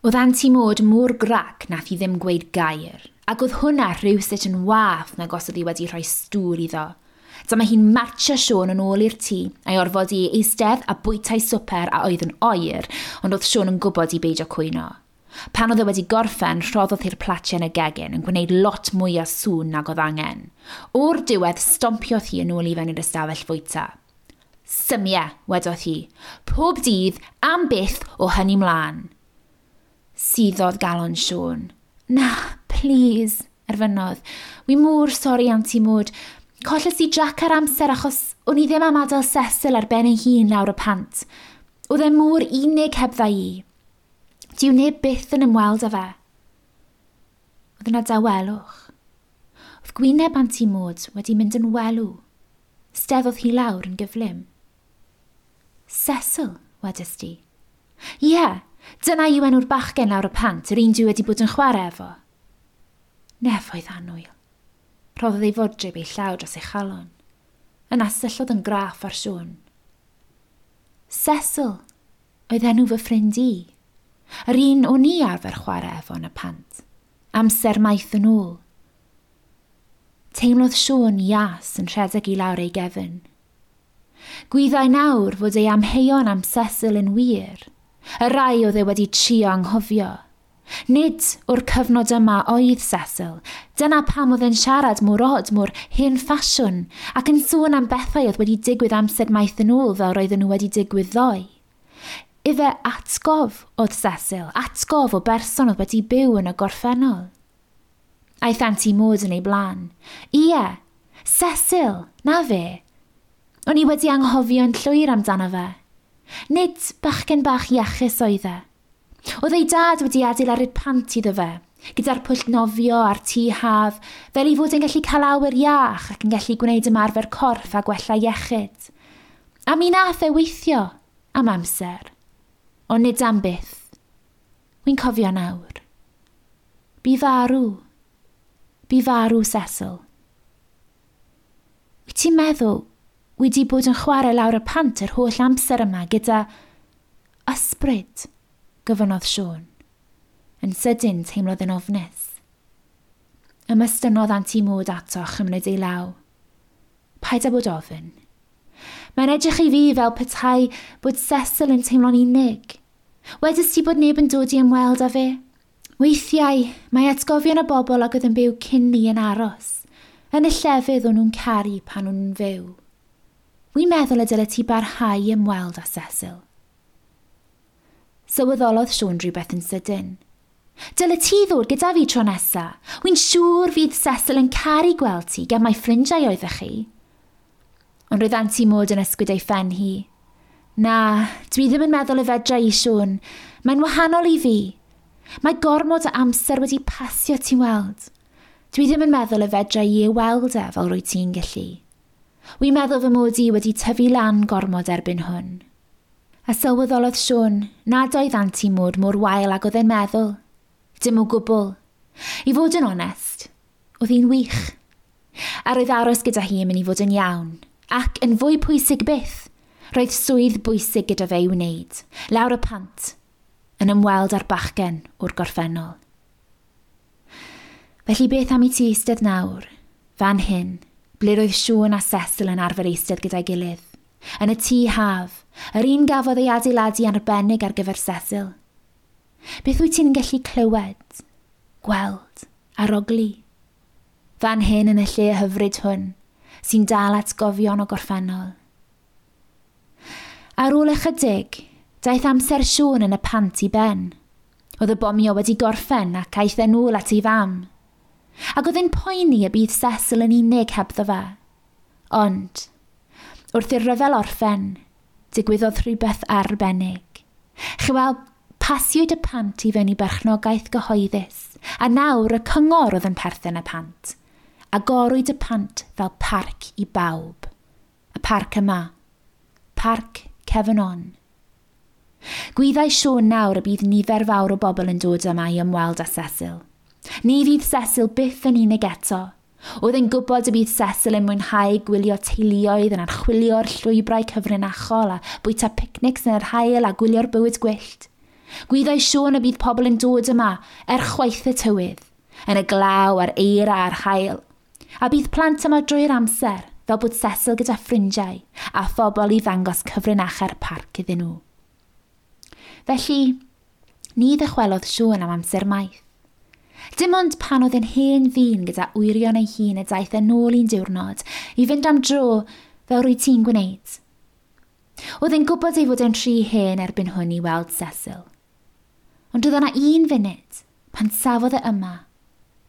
Oedd Anti Maud mor grac nath hi ddim gweud gair, ac oedd hwnna rhywsut yn wath nag os oedd hi wedi rhoi stŵr iddo. Dyma hi'n martsio Siôn yn ôl i'r tŷ, a'i orfodi i eistedd a bwyta'i swper a oedd yn oer, ond oedd Siôn yn gwybod i beidio cwyno. Pan oedd e wedi gorffen, rhoddodd hi'r platiau yn y gegin, yn gwneud lot mwy o sŵn nag oedd angen. O'r diwedd, stompiodd hi yn ôl i fewn i'r ystafell fwyta. Symia, wedodd hi. Pob dydd, am byth, o hynny mlaen. Suddodd galon Siôn. Na, plîs, erfynodd. Wi mor sori Anti Maud. Colles i drac ar amser achos o'n i ddim am adael Cecil ar ben ei hun lawr y pant. Oedd e mor unig hebdda i. Dyw neb byth yn ymweld â fe. Oedd yna dawelwch. Oedd gwyneb Anti Maud wedi mynd yn welw. Steddodd hi lawr yn gyflym. Cecil, wedest di. Ie, dyna yw enw'r bachgen lawr y pant, yr un dwi wedi bod yn chwarae efo. Nefoedd annwyl. Rhoddodd ei fodryb ei llaw dros ei chalon. Yna syllodd yn graff ar Siôn. Cecil oedd enw fy ffrind i. Yr un o'n i arfer chwarae efo yn y pant. Amser maith yn ôl. Teimlodd Siôn ias yn rhedeg i lawr ei gefn. Gwyddai nawr fod ei amheuon am Cecil yn wir, y rai oedd e wedi trio anghofio. Nid o'r cyfnod yma oedd Cecil, dyna pam oedd e'n siarad mor od, mor hen ffasiwn, ac yn sôn am bethau oedd wedi digwydd amser maith yn ôl fel roedden nhw wedi digwydd ddoe. Ife atgof oedd Cecil, atgof o berson oedd wedi byw yn y gorffennol. Aeth Anti Maud yn ei blaen. Ie, Cecil, na fe. O'n i wedi anghofio'n llwyr amdano fe. Nid bachgen bach iachus oedd e. Oedd ei dad wedi adeiladu'r pant iddo fe, gyda'r pwll nofio a'r tŷ haf, fel ei fod yn gallu cael awyr iach ac yn gallu gwneud ymarfer corff a gwella iechyd. A mi nath e weithio am amser, ond nid am byth. Wi'n cofio nawr. Bu farw. Bu farw Cecil. Wyt ti'n meddwl wedi bod yn chwarae lawr y pant yr holl amser yma gyda ysbryd, gofynnodd Siôn. Yn sydyn teimlodd yn ofnus. Ymestynnodd Anti Maud ato a chymryd ei law. Paid â bod ofn. Mae'n edrych i fi fel petai bod Cecil yn teimlo'n unig. Wedest ti bod neb yn dod i ymweld â fe? Weithiau, mae atgofion y bobl ag oedd yn byw cyn ni yn aros, yn y llefydd o'n nhw'n caru pan o'n nhw'n fyw. Wi'n meddwl y dylet ti barhau i ymweld â Cecil. Sylweddolodd Siôn rhywbeth yn sydyn. Dylet ti ddod gyda fi tro nesa. Wi'n siŵr fydd Cecil yn caru gweld ti gan mai ffrindiau oeddech chi. Ond roedd Anti Maud yn ysgwyd ei phen hi. Na, dwi ddim yn meddwl y fedra i, Siôn. Mae'n wahanol i fi. Mae gormod o amser wedi pasio, ti'n weld. Dwi ddim yn meddwl y fedra i ei weld e fel rwyt ti'n gallu. Wi'n meddwl fy mod i wedi tyfu lan gormod erbyn hwn. A sylweddolodd Siôn nad oedd Anti Maud mor wael ag oedd e'n meddwl. Dim o gwbl. I fod yn onest, oedd hi'n wych. A roedd aros gyda hi yn mynd i fod yn iawn. Ac yn fwy pwysig byth, roedd swydd bwysig gyda fe i wneud, lawr y pant, yn ymweld â'r bachgen o'r gorffennol. Felly beth am i ti eistedd nawr, fan hyn, ble roedd Siôn a Cecil yn arfer eistedd gyda'i gilydd, yn y tŷ haf, yr un gafodd ei adeiladu arbennig ar gyfer Cecil. Beth wyt ti'n gallu clywed, gweld, arogli? Fan hyn yn y lle hyfryd hwn, sy'n dal atgofion o gorffennol. Ar ôl ychydig, daeth amser Siôn yn y pant i ben. Oedd y bomio wedi gorffen ac aeth e'n ôl at ei fam. Ac oedd e'n poeni y bydd Cecil yn unig hebddo fe. Ond, wrth i'r rhyfel orffen, digwyddodd rhywbeth arbennig. Chi weld, pasiwyd y pant i fewn i berchnogaeth gyhoeddus, a nawr y cyngor oedd yn perthyn y pant. Agorwyd y pant fel parc i bawb. Y parc yma. Parc Cefn On. Gwyddai Siôn nawr y bydd nifer fawr o bobl yn dod yma i ymweld â Cecil. Ni fydd Cecil byth yn unig eto. Oedd e'n gwybod y bydd Cecil yn mwynhau gwylio teuluoedd yn archwilio'r llwybrau cyfrinachol a bwyta picnics yn yr haul a gwylio'r bywyd gwyllt. Gwyddai Siôn y bydd pobl yn dod yma er chwaith y tywydd, yn y glaw a'r eira a'r haul. A bydd plant yma drwy'r amser, fel bod Cecil gyda ffrindiau a phobl i ddangos cyfrinachau'r parc iddyn nhw. Felly, ni ddychwelodd Siôn am amser maith. Dim ond pan oedd yn hen ddyn gyda wyrion ei hun y daeth yn ôl un diwrnod i fynd am dro fel rwy ti'n gwneud. Oedd e'n gwybod ei fod e'n rhy hen erbyn hwn i weld Cecil. Ond oedd yna un funud pan safodd e yma,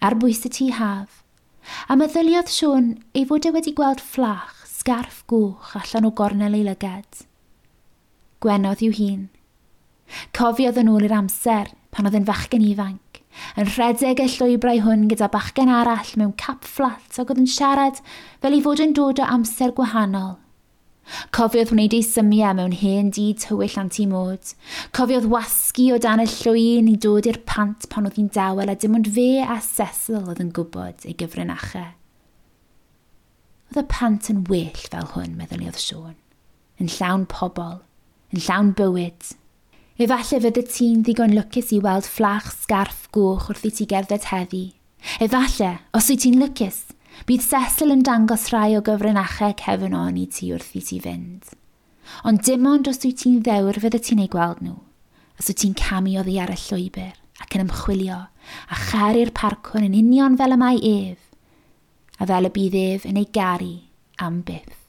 ar bwys y tŷ haf, a meddyliodd Siôn ei fod e wedi gweld fflach sgarff goch allan o gornel ei lygad. Gwenodd i'w hun. Cofiodd yn ôl i'r amser pan oedd yn fachgen ifanc, yn rhedeg y llwybrau hwn gyda bachgen arall mewn cap fflat ac oedd yn siarad fel ei fod yn dod o amser gwahanol. Cofiodd wneud ei symiau mewn hen dŷ tywyll anti-mod. Cofiodd wasgu o dan y llwyn i dod i'r pant pan oedd hi'n dawel a dim ond fe a Cecil oedd yn gwybod ei gyfrinachau. Oedd y pant yn well fel hwn, meddyliodd Siôn. Yn llawn pobl, yn llawn bywyd. Efallai fydde ti'n ddigon lwcus i weld fflach sgarff goch wrth i ti gerdded heddi. Efallai, os wyt ti'n lwcus, bydd Cecil yn dangos rhai o gyfrinachau Cefn On i ti wrth i ti fynd. Ond dim ond os wyt ti'n ddewr fydde ti'n ei gweld nhw, os wyt ti'n camu oddi ar y llwybr ac yn ymchwilio a charu'r parc hwn yn union fel y mae ef, a fel y bydd ef yn ei garu am byth.